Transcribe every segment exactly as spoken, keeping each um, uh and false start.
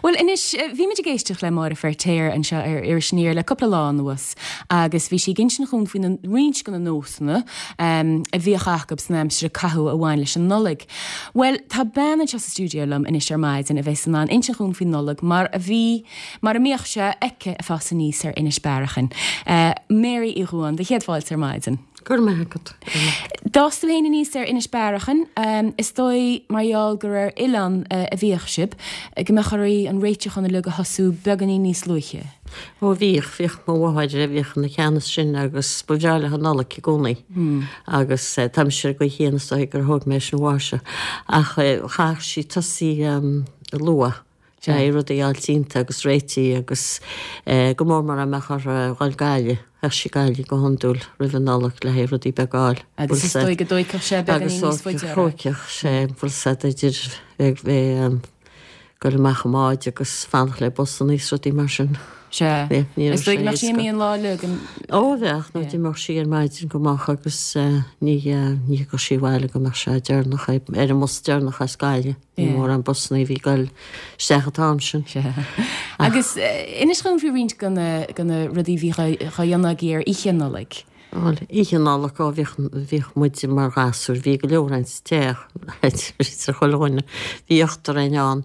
Well anois bhí muid ag éisteacht le Máire Feirtéar anseo ar Iris Aniar le cúpla lá anuas agus bhí sí ag insint dhúinn faoi na roinnt de na nósanna um, a bhíodh acu san aimsir a caitheadh a bhain leis an Nollaig. Well tá bean anseo sa stiúideo liom anois ar maidin a bheas in ann insint dhúinn faoin Nollaig mar a bhí mar a mbíodh sé aici ag fás aníos ar Inis Bearachain. Uh, Mary Uí Dhubháin, do chéad fáilte ar maidin. Go raibh maith agat. D'fhás tú féin aníos ar Inis Bearachain, um, is dóigh mar gheall gur ar oileán uh, a bhíodh sibh, go mbeadh oraibh an réiteachán uilig a thosú beagáinín níos luaithe. Ó bhíodh bhíodh mo mháthair a bhíodh ina ceannas sin agus ba bhreá léi an Nollaig i gcónaí. Agus uh, táimse go chéanna gur thóg mé sin uaithi ach uh, chaith sí tosaí um, luath. Sé rudaí altinta agus réití agus eh, go mór mar a mbeadh ar ghabháil Gaillimh, bheadh sí Gaillimh go hiondúil roimh an Nollaig le haghaidh rudaí beaga a fháil. Agus is dóigh go dtóigfeadh sé beagáinín níos faide. Thógfadh sé bhfuil sé idir bheith dul amach i mbád agus fanacht le busanna is rudaí mar sin. Sé. Is dóigh nach sí an lá le Ó bheadh nó d'imeodh sí ar maidin go maith agus ní ní go sí bhile go mbeadh sé deireanach ar an mbus deireanach as Gaillimh. Ní mór an busanna bhí ag dul isteach an t-am sin. Agus inis dhúinn faoi roinnt de na rudaí bhí á dhéanamh agaibh ar Oíche Nollag. Oíche Nollag ó bhíodh muid mar ghasúir, bhí go leor sa teach chuile dhuine, bhí ochtar againn ann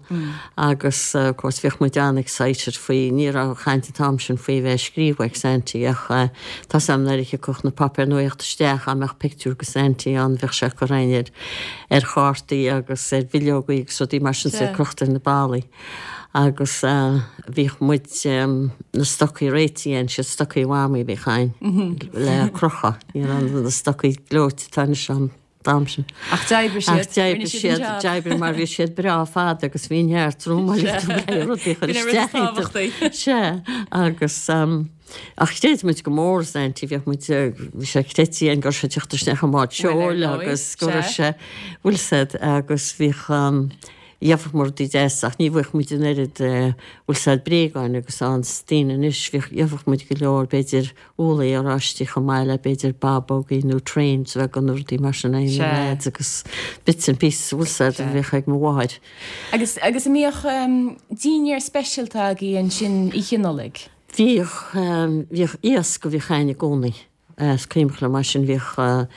agus of course bhíodh muid an-excited faoi ní raibh caint an t-am sin faoi bheith scríobh ag Santy ach tá sam nuair a thiocfadh na páipéir nuachta isteach a mbeadh pictiúr de Santy ann bheadh sé curtha ar ar chártaí agus ar bhileogaí agus rudaí mar sin sa crochta ar na ballaí. Agus bhíodh muid na stocaí réitithe againn, siad stocaí mhamaí a bhíodh againn le crochadh, ní raibh na stocaí gleoite atá anois an t-am sin. Ach d'oibrigh siad. Ach d'oibrigh siad, d'oibrigh mar bhí siad breá fada agus bhí neart rúmáil le rudaí chur isteach iontu. Sea, agus ach chreid muid go mór Santy, bhíodh muid, bhí sé creidte againn go raibh sé ag teacht isteach i mbád seoil agus go raibh sé, bhfuil said, agus bhíodh gheobhadh muid rudaí deas ach ní bhfuigheadh muid an oiread bhfuil said bréagáin agus ann daoine anois bhíodh gheobhadh muid go leor b'fhéidir úllaí oráistí chomh maith le b'fhéidir babógaí nó trains bheaga nó rudaí mar sin ag na lads agus bits and pieces bhfuil said a bhíodh ag mo mháthair. Agus agus an mbíodh dinnéar speisialta agaibh ansin Oíche Nollag? Bhíodh bhíodh iasc a bhíodh againn i gcónaí. Is cuimhneach liom mar sin bhíodh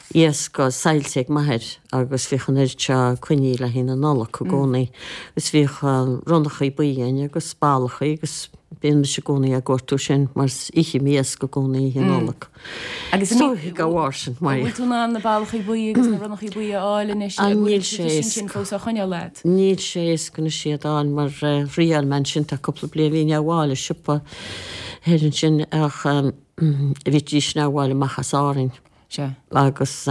iasc saillte ag m'athair agus bhíodh an oiread seo coinnithe le haghaidh na Nollag i gcónaí. Agus bhíodh ronnachaí buí againn agus ballachaí agus bíonn mise i gcónaí ag gortú sin mar ithim iasc i gcónaí oíche Nollag. Agus Is dóigh dá bharr sin, mar. Bhfuil tú in ann na ballachaí buí agus na ronnachaí buí a fháil anois? An níl sé sin fós á choinneáil agat? Níl sé éasca anois iad a fháil mar thriail mé ansin tá cúpla bliain bhí mé a fháil i siopa thoir ansin ach bhídís á bhfáil amach as Árainn. Sea. Agus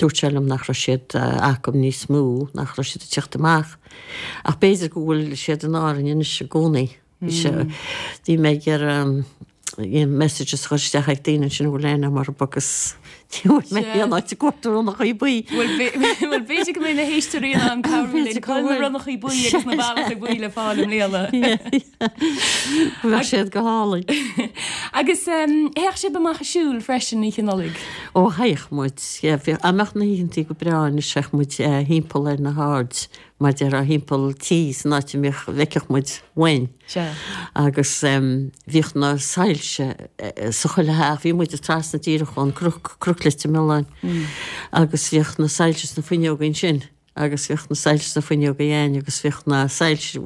dúirt sé liom nach raibh siad acu níos mó, nach raibh siad ag teacht amach. Ach b'fhéidir go bhfuil siad in Árainn anois i gcónaí. Bhí sé, bhí mé ag iarraidh messages a chur isteach ag daoine ansin a bhfuil aithne agam orthu agus ní bhfuair mé aon áit ag cuartú ronnachaí buí. Bhuel, bhuel b'fhéidir go mbeidh na héisteoirí in ann cabhrú linn cá bhfuil na ronnachaí buí agus na ballachaí buí le fáil i mbliana. Bheadh siad go hálainn. Agus théadh sibh amach ag siúl freisin Oíche Nollag? Ó théadh muid, yeah, bhí, dá mbeadh na hoícheantaí go breá anois théadh muid thimpeall ar na haird, mar déarfá thimpeall tí san áit a mbeadh, bhfeicfeadh muid uainn. Sea. Agus bhíodh na soilse sa chuile theach, bhí muid trasna díreach ón gcnoc, Cnoc Leitir Mealláin, agus bhíodh na soilse sna fuinneoga ansin. Agus bhíodh na soilse sna fuinneoga againn agus bhíodh na soilse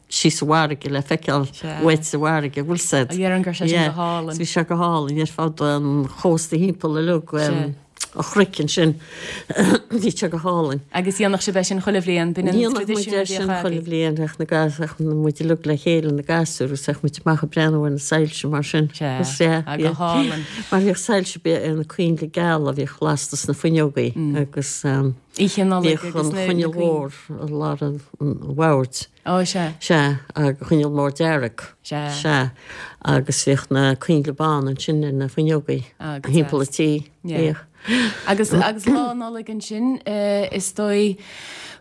síos sa bhfarraige le feiceáil uait sa bhfarraige, bhfuil 's a'd. Déarfainn go raibh sé sin go hálainn. Bhí sé go hálainn ar fud an chósta thimpeall uilig an chnoic ansin. Bhí sé go hálainn. Agus dhéanfadh sibh é sin chuile bhliain, b'in an Dhéanfadh muid traidisiún é a bhíodh sin chuile agaibh. bhliain, bheadh na gas, bheadh muid uilig le chéile, na gasúir, agus bheadh muid amach ag breathnú ar na soilse mar sin. Sea, Agus yeah, ah, go yeah. hálainn. Mar bhíodh soilse na coinnle geala a bhíodh lasta sna fuinneogaí agus Oíche Nollag bhíodh agus an na, na choinneal coinnle. mhór i lár an bhoird. Ó, sea. Sea, agus coinneal mór dearg. Sea. Sea, agus bhíodh na coinnle bána ansin ar na fuinneogaí Ah, go thimpeall deas. an tí. Yeah. Bhíodh. Agus, agus lá Nollag ansin, is dóigh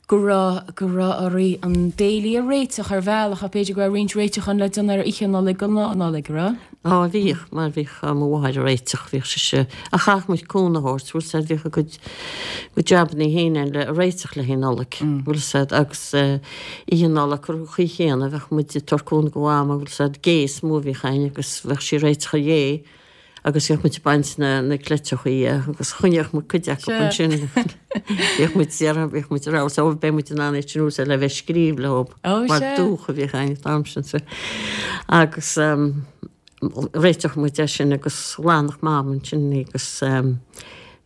go raibh go raibh oraibh an béilí a réiteach ar bhealach ach b'fhéidir go raibh roinnt réiteachán le déanamh ar oíche Nollag go Lá Nollag, raibh? Á bhíodh, mar bhíodh mo mháthair ag réiteach, bhíodh sise, ach chaithfeadh muid cúnamh a thabhairt, bhfuil 's a'd, bhíodh a gcuid gcuid jabannaí féin ann le réiteach le haghaidh Nollag, bhfuil 's a'd, agus oíche Nollag ar an chaoi chéanna bheadh muid ag tabhairt cúnamh do Mhama, bhfuil 's a'd, gé is mó a bhíodh a'inn agus bheadh sí ag réiteach an ghé. Agus bhíodh muid ag baint na na cleiteachaí agus choinneodh muid cuid acu ansin. Bhíodh muid déarfá, bhíodh muid ag rá so beidh muid in ann iad sin a úsáid le bheith ag scríobh leo mar dúch a bhíodh a'inn an t-am sin. So agus réiteodh muid é sin agus ghlanfadh Mam ansin í agus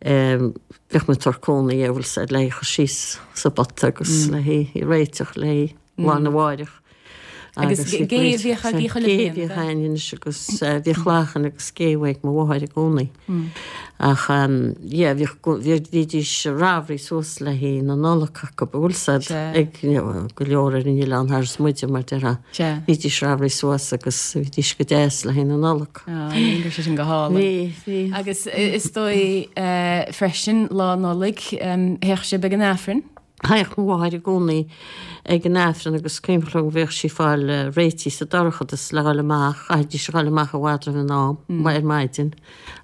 bhíodh muid ag tabhairt cúnamh di bhfuil 's a'd le í a chur síos sa bpota agus le hí a réiteach le lá arna mháireach. Agus gé a bhíodh agaibh chuile bhliain? Gé a bhíodh a'inn anois agus bhíodh lachan agus gé uaidh mo mháthair i gcónaí. Ach yeah bhíodh, bhídís ramhraí suas le haghaidh na Nollag acu, bhfuil 's a'd, ag go leor ar an oileán thar is muide mar déarfá. Bhídís ramhraí suas agus bhídís go deas le haghaidh na Nollag. Á, bhí sé sin go hálainn. Bhí, bhí. Agus is dóigh freisin Lá Nollag, théadh sibh ag an Aifreann? Théadh mo mháthair i gcónaí ag an Aifreann agus cuimhneach liom go bhíodh sí ag fáil réitithe sa dorchadas le dhul amach, chaithfidís a dhul amach i bhfad roimh an am, ar maidin,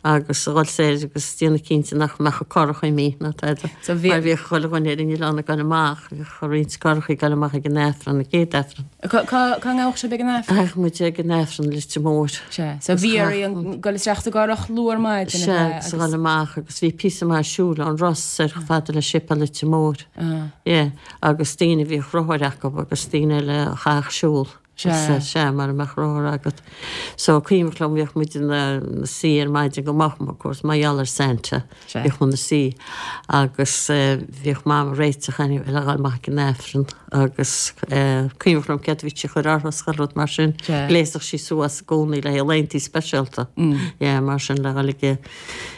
agus a dhul soir agus déanamh cinnte nach mbeadh an curach imithe ná tada. Mar bhíodh chuile dhuine ar an oileán ag dul amach, bhíodh roinnt curachaí ag dul amach ag an Aifreann, an chéad Aifreann. Cá ngabhadh sibh ag an Aifreann? Théadh muid ag an Aifreann i Leitir Móir. Sea, so bhí oraibh dul isteach sa gcurach luath ar maidin, ab ea? Sea, agus a dhul amach agus bhí píosa maith siúil ón Ros soir chomh fada le Séipéal Leitir Móir. Yeah, agus daoine a bhíodh rothair acu agus daoine eile a chaithfeadh siúl. Sea. Sea, mara mbeadh rothar agat. So, cuimhneach liom, bhíodh muid ina suí ar maidin go moch, of course, mar gheall ar Santa. Sea. Bhíodh muid ina suí agus bhíodh Mam ag réiteach anyway le dhul amach ag an Aifreann agus cuimhneach liom céard a bhí sí a chur uirthi is chuile rud mar sin. Sea. Ghléasfadh sí suas i gcónaí le haghaidh laethanta speisialta. Yeah, mar sin le dhul ag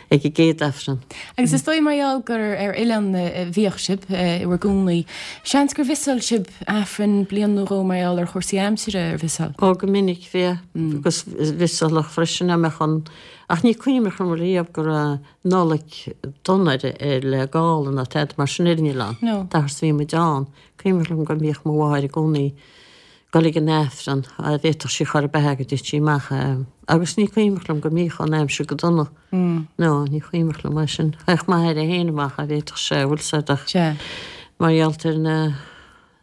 ag an gcéad Aifreann. Agus is dóigh mar gheall gur ar oileán a bhíodh sibh i bhur gcónaí, seans gur mhiosáil sibh Aifreann bliain nó dhó mar gheall ar chúrsaí aimsire, ar mhiosáil? Ó, go minic, bhí, agus mhiosáladh freisin dá mbeadh an, ach ní cuimhneach liom riamh go raibh Nollaig dona ar le gála ná tada mar sin ar an oileán, dá fhad is a bhí muid ann. Cuimhneach liom go mbíodh mo mháthair i gcónaí dul ag an Aifreann, dá bhféadfadh sí chor ar bith go dtitfeadh sí amach agus ní cuimhneach liom go mbíodh an aimsir go dona. No, ní cuimhneach liom é sin. Théadh m'athair é féin amach dá bhféadfadh sé, bhfuil 's a'd ach mar gheall ar na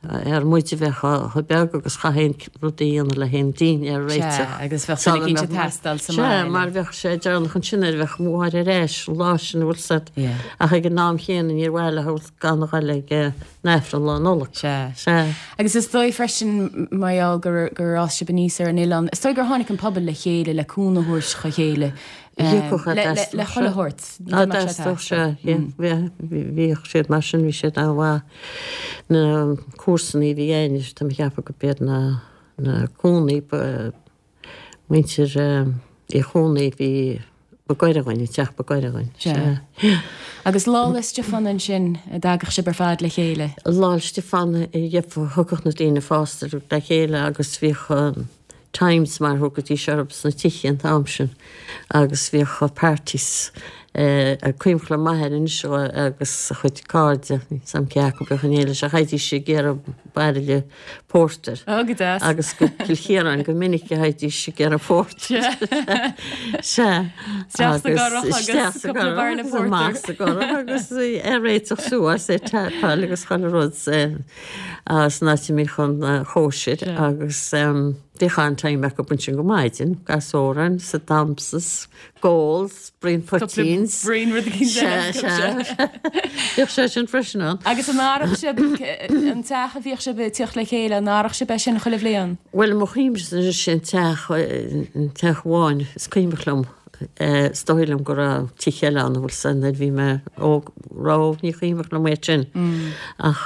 ar muid a bheith chomh beag agus chaithfí an rud a dhéanamh le haghaidh an dinnéar a réiteach. Sea, agus bheadh duine eicínt ag teastáil sa mbaile. Sea, mar bheadh sé deireanach ansin nuair a bheadh mo mháthair ar ais an lá sin, bhfuil 's a'd. Ach ag an am chéanna níor mhaith leo gan a dhul ag an Aifreann Lá Nollag. Sea. Sea. Agus is dóigh freisin, mar gheall gur gur fhás sibh aníos ar an oileán, is dóigh gur tháinig an pobal le chéile le cúnamh a thabhairt dá chéile le le le chuile shórt. Á d'fhreastalódh sé, yeah. Bhíodh siad mar sin, bhí siad an-mhaith. Na comharsanaí a bhí againn, tá mé ag ceapadh go b'iad na na Cónaí ba Muintir Uí Chónaí a bhí ba gaire dhúinn, an teach ba gaire dhúinn. Sea. Agus Lá 'le Stiofáin ansin, a dtagadh sibh ar fad le chéile? Lá 'le Stiofáin, thiocfadh na daoine fásta le chéile agus bhíodh times mar a thugaidís orthu sna tithe an t-am sin agus bhíodh parties. Cuimhneach liom m'athair anois agus a chuid cairde, níl 's a'm cé acu a bhíodh in éineacht leis, ach théidís ag iarraidh bairille pórtair. Ó, go deas. Agus go Cill Chiaráin go minic a théidís ag iarraidh pórtair. Sea. Isteach sa gcurach agus cúpla bairille pórtair. Amach sa gcurach agus é réiteach suas é tapáil agus chuile rud san áit a mbíodh an chóisir agus bhíodh an-time acu ansin go maidin, gasóran, sa damsas, gól, braon poitín. Braon rud éicint eile. Sea, sea. Bhíodh sé sin freisin ann. Agus an aireodh sibh an teach a bhíodh sibh ag tíocht le chéile, an aireodh sibh é sin chuile bhliain? Bhuel, mo chuimhne anois sé an teach, an teach amháin is cuimhneach liom. Is dóigh liom go raibh tithe eile ann, bhfuil 's a'd, nuair a bhí mé óg, raibh, ní cuimhneach liom é sin. Ach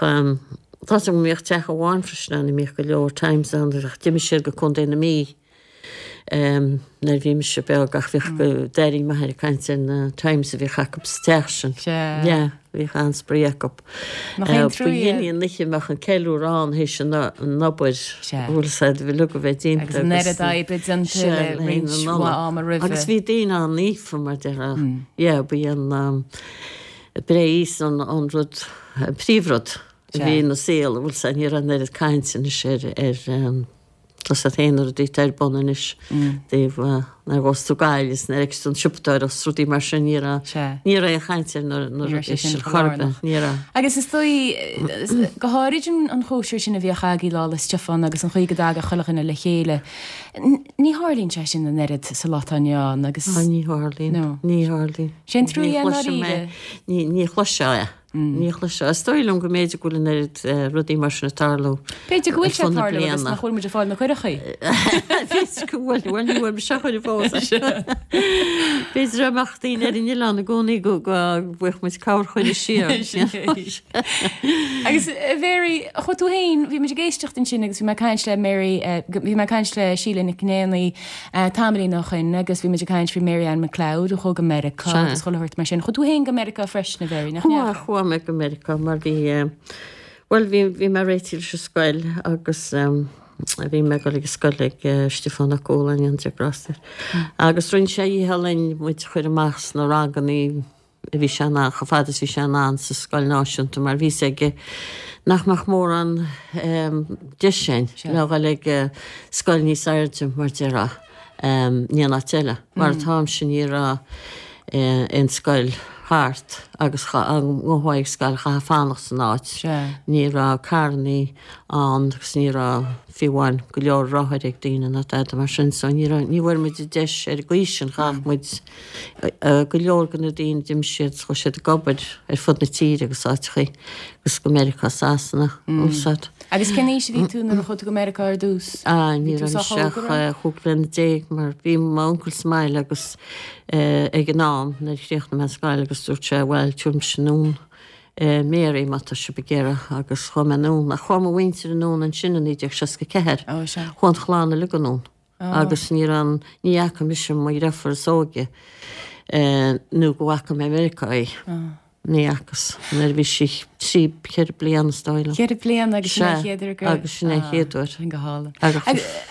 tá 's agam go mbíodh teach amháin freisin ann a mbíodh go leor times ann, ach d'imigh siad go Contae na Mí. Nuair a bhí mise beag ach bhíodh d'airínn m'athair ag caint ar na times a bhíodh acu sa teach sin. Sea. Yeah, bhíodh an-spraoi acu. Nach é an trua Ba dhéanaí an oíche a mbeadh an ceiliúradh ann théis an obair. Sea. Bhfuil 's a'd, uilig a bheith déanta agus. Agus an oiread oibre déanta le roinnt mhaith ama roimhe. Agus bhí daoine an-naofa mar déarfá. Yeah, ba í an breith Íosa an rud, an príomhrud. a bhí ina saol, bhfuil 's a'd, ní raibh an oiread cainte anois ar, ar, tá 's a'd féin na rudaí atá ar bun anois, dtaobh nuair a ghabhfas tú Gaillimh is nuair a fheicfeas tú an siopadóireacht is rudaí mar sin, ní raibh, ní raibh aon chaint ar na, na rudaí sin chor ar bith, ní raibh. Agus is dóigh, go háirid an chóisir sin a bhíodh agaibh Lá 'le Stiofáin agus an chaoi go dtagadh chuile dhuine le chéile, ní tharlaíonn sé sin an oiread sa lá atá inniu ann agus. Á, ní tharlaíonn, ní tharlaíonn. Sé an trua é i ndáiríre. Ní, ní chloisfeá é. Ní chloisfeá. Is dóigh liom go mb'fhéidir go bhfuil an oiread rudaí mar sin ag tarlú. B'fhéidir go bhfuil sé ag tarlú agus nach bhfuil muid ag fáil na cuireachaí. B'fhéidir go bhfuil, bhuel ní bhfuil mise á chur i bhfós. B'fhéidir dá mbeadh daoine ar an oileán i gcónaí go bhfaigheadh muid cabhair chuile siar. Agus a Mhary, chuaigh tú féin, bhí muid ag éisteacht ansin agus bhí mé ag caint le Mary, bhí mé ag caint le Síle Nic Néanaí tamaillín ó shin agus bhí muid ag caint faoi Mary Ann McLeod a chuaigh go Meiriceá agus chuile shórt mar sin. Chuaigh tú féin go Meiriceá freisin, a Mhary, nach ndeachaigh? Chuaigh mé go Meiriceá mar bhí, bhuel, bhí, bhí mé réitithe leis an scoil agus bhí mé ag dul ag an scoil ag Stiofán Ó Cualáin, go ndéana Dia grásta air. Agus rinne sé a dhícheall linn muid a chur amach sna rangannaí a bhí sé in ann, chomh fada is bhí sé in ann sa scoil náisiúnta mar bhí 'fhios aige nach mbeadh mórán deis againn le dhul ag scoil níos airde mar déarfá in aon áit eile. Mar atá-mse ní raibh aon scoil thart agus dá ngabhfá ag scoil chaithfeá fanacht san áit. Ní raibh carrannaí ann agus ní raibh fiú amháin go leor rothair ag daoine ná tada mar sin so ní raibh, ní bhfuair muid an deis ar an gcaoi sin, chaith muid go leor de na daoine d'imigh siad, chuaigh siad ag obair ar fud na tíre agus áiteachaí agus go Meiriceá, Sasana, bhfuil 's a'd. Agus cén aois a bhí tú nuair a chuaigh tú go Meiriceá ar dtús? Ah, ní raibh mise ach chúig bliana déag mar bhí m'uncail sa mbaile agus ag an am nuair a chríochnaigh mé an scoil agus dúirt sé bhuel tabharfaidh mise anonn Mary má tá sibh ag iarraidh agus chuaigh mé anonn ach chuaigh mo mhuintir anonn ansin i naoi déag seasca ceathair. Chuaigh an chlann uilig anonn agus ní raibh an, ní fhaca mise mo dheirfiúr is óige nó go bhfaca mé i Meiriceá í. Ní fhacas nuair a bhí sí trí, ceithre bliana is dóigh liom. Ceithre bliana agus sin é an chéad uair go. Agus sin é an chéad uair. Sin go hálainn.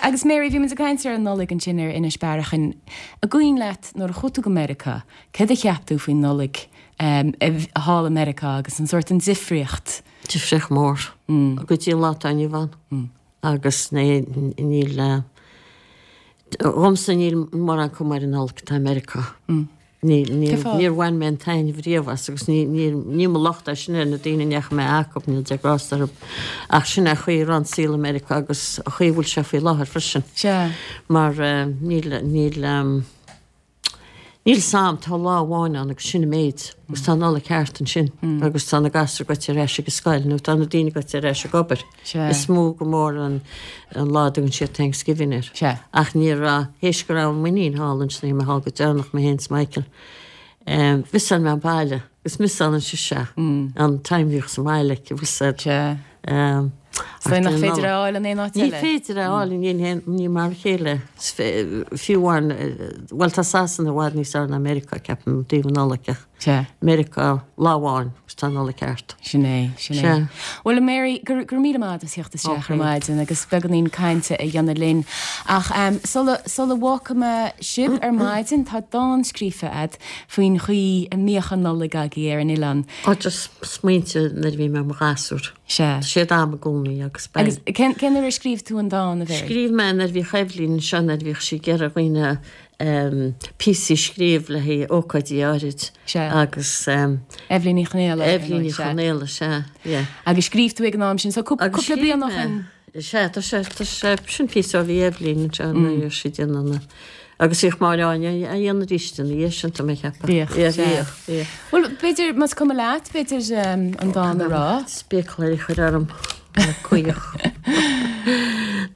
Agus Mary, bhí muid ag caint ar an Nollaig ansin ar Inis Bearachain. An cuimhin leat nuair a chuaigh tú go Meiriceá, céard a cheap tú faoin Nollaig thall i Meiriceá agus an sórt an difríocht? Difríocht mór. Go dtí an lá atá inniu ann. Agus níl, dhomsa níl mórán cuma ar an Nollaig atá i Meiriceá. Níl, níl, níor bhain mé an taitneamh riamh as agus ní, ní, ní mo locht é sin ar na daoine a ndeachaigh mé acu, níl Dia grásta orthu. Ach sin é an chaoi a raibh an saol i Meiriceá agus an chaoi a bhfuil sé faoi láthair freisin. Sea. Mar níl, níl, níl 's a'm, tá lá amháin ann agus sin an méid agus tá an Nollaig thart ansin agus tá na gasúir goite ar ais ag an scoil nó tá na daoine goite ar ais ag obair. Sea. Is mó go mór an, an lá a dtugann siad Thanksgiving air. Sea. Ach ní raibh, théis go raibh m'iníon thall ansin, bhí mé thall go deireanach, mé féin is Michael, em, mhissáil mé an baile, agus mhissálann sise an time a bhíodh sa mbaile aici, bhfuil 's a'd. Sea. Em, Is dóigh nach féidir é a fháil in aon áit Ní eile. féidir é a fháil in aon, ní mar a chéile, fiú amháin, bhuel tá Sasana i bhfad níos fearr ná Meiriceá, ceapaim, i dtaobh an Nollaig ach. Sea. Meiriceá lá amháin agus tá an Nollaig thart. Sin é, sin é. Sea. Bhuel, a Mary, go raibh míle maith agat as theacht isteach ar maidin agus beagáinín cainte a dhéanamh linn. Ach sula, sula bhfágfaidh mé sibh ar maidin, tá dán scríofa agat faoin chaoi a mbíodh an Nollaig agaibh ar an oileán. Ó, just smaointe nuair a bhí mé i mo ghasúr. Sea. Tá siad a'm i gcónaí agus beidh. Agus cén, cén uair a scríobh tú an dán, a Mhary? Scríobh mé nuair a bhíodh Eibhlín anseo, nuair a bhíodh sí ag iarraidh dhaoine píosaí a scríobh le haghaidh ócáidí áirid. Sea. Agus. Eibhlín Ní Chonaola. Eibhlín Ní Chonaola, sea, yeah. Agus scríobh tú ag an am sin, so cúpla bliain ó shin. Sea, tá sé, tá sé, sin píosa ó bhí Eibhlín anseo nuair a bhí sí ag déanamh na, agus bhíodh Máire Áine á dhéanamh arís ina dhiaidh sin, tá mé ag ceapadh. Bhíodh, Yeah, bhíodh, bhíodh. Bhuel, b'fhéidir, más cuma leat, b'fhéidir an dán a rá. Spéacláirí a chur orm, caoch.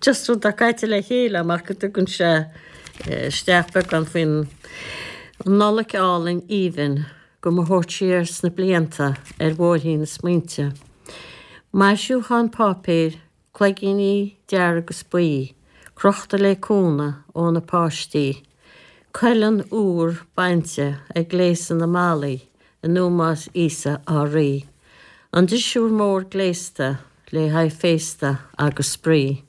Just rud atá caite le chéile amach go dtugann sé isteach beagán faoin Nollaig álainn aoibhinn do mo thabhairt siar sna blianta ar bhóithrín na smaointe. Maisiúchán páipéir, cloigíní dearg is buí, crochta le cúnamh ó na páistí. Cuileann úr bainte ag gléasadh na mballaí in ómós Íosa ár Rí. An drisiúr mór gléasta le haghaidh féasta agus spraoi.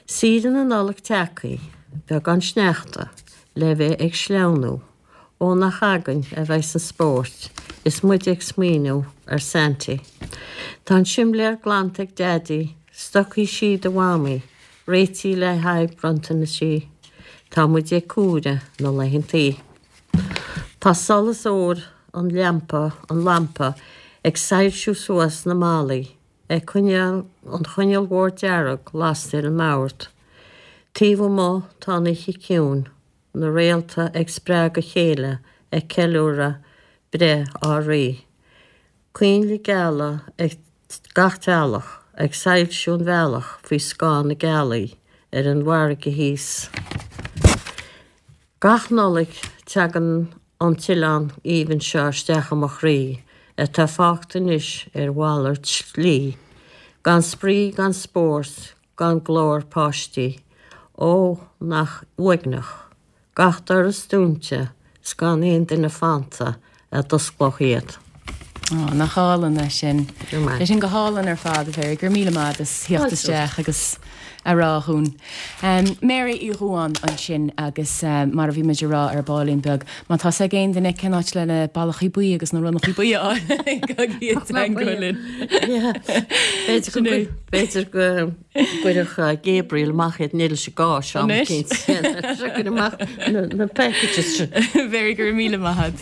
Saoire na Nollag tagtha, beagán sneachta le bheith ag sleamhnú, ó nach againn a bheas an spórt is muid ag smaoineamh ar Santy. Tá an simléar glanta ag Daidí, stocaí sí do Mhamaí, réitithe le haghaidh bronntanaisí. Tá muid ag comhaireamh na laethantaí. Tá solas óir an lampa, an lampa ag soilsiú suas na malaí, ag coinneáil an choinneal mhór dearg lasta ar an mbord. Taobh amuigh tá an oíche ciúin, na réalta ag spreagadh a chéile ag ceiliúradh breith ár Rí. Coinnle geala ag gach teaghlach ag soilsiú an bhealach faoi scáth na gealaí ar an bhfarraige thíos. Gach Nollaig tagann an t-oileán aoibhinn seo isteach i mo chroí atá fágtha anois ar mhalairt slí, gan spraoi gan spórt gan glór páistí. Ó, nach uaigneach. Gach doras dúnta 's gan aon duine fanta a d'osclódh iad. Ó, nach álainn é sin. Go maith. É sin go hálainn ar fad a Mhary, go raibh míle maith as theacht isteach agus a rá dhúinn. Um, Mary Uí Dhubháin ansin agus uh, mar a bhí muid a rá ar baillín beag, má tá ag aon duine cén áit le na ballachaí buí agus na ronnachaí buí linn. B'fhéidir go gcuirfeadh Gabriel amach iad níl sé gá se Anois. amach na packages. Mary go raibh míle maith.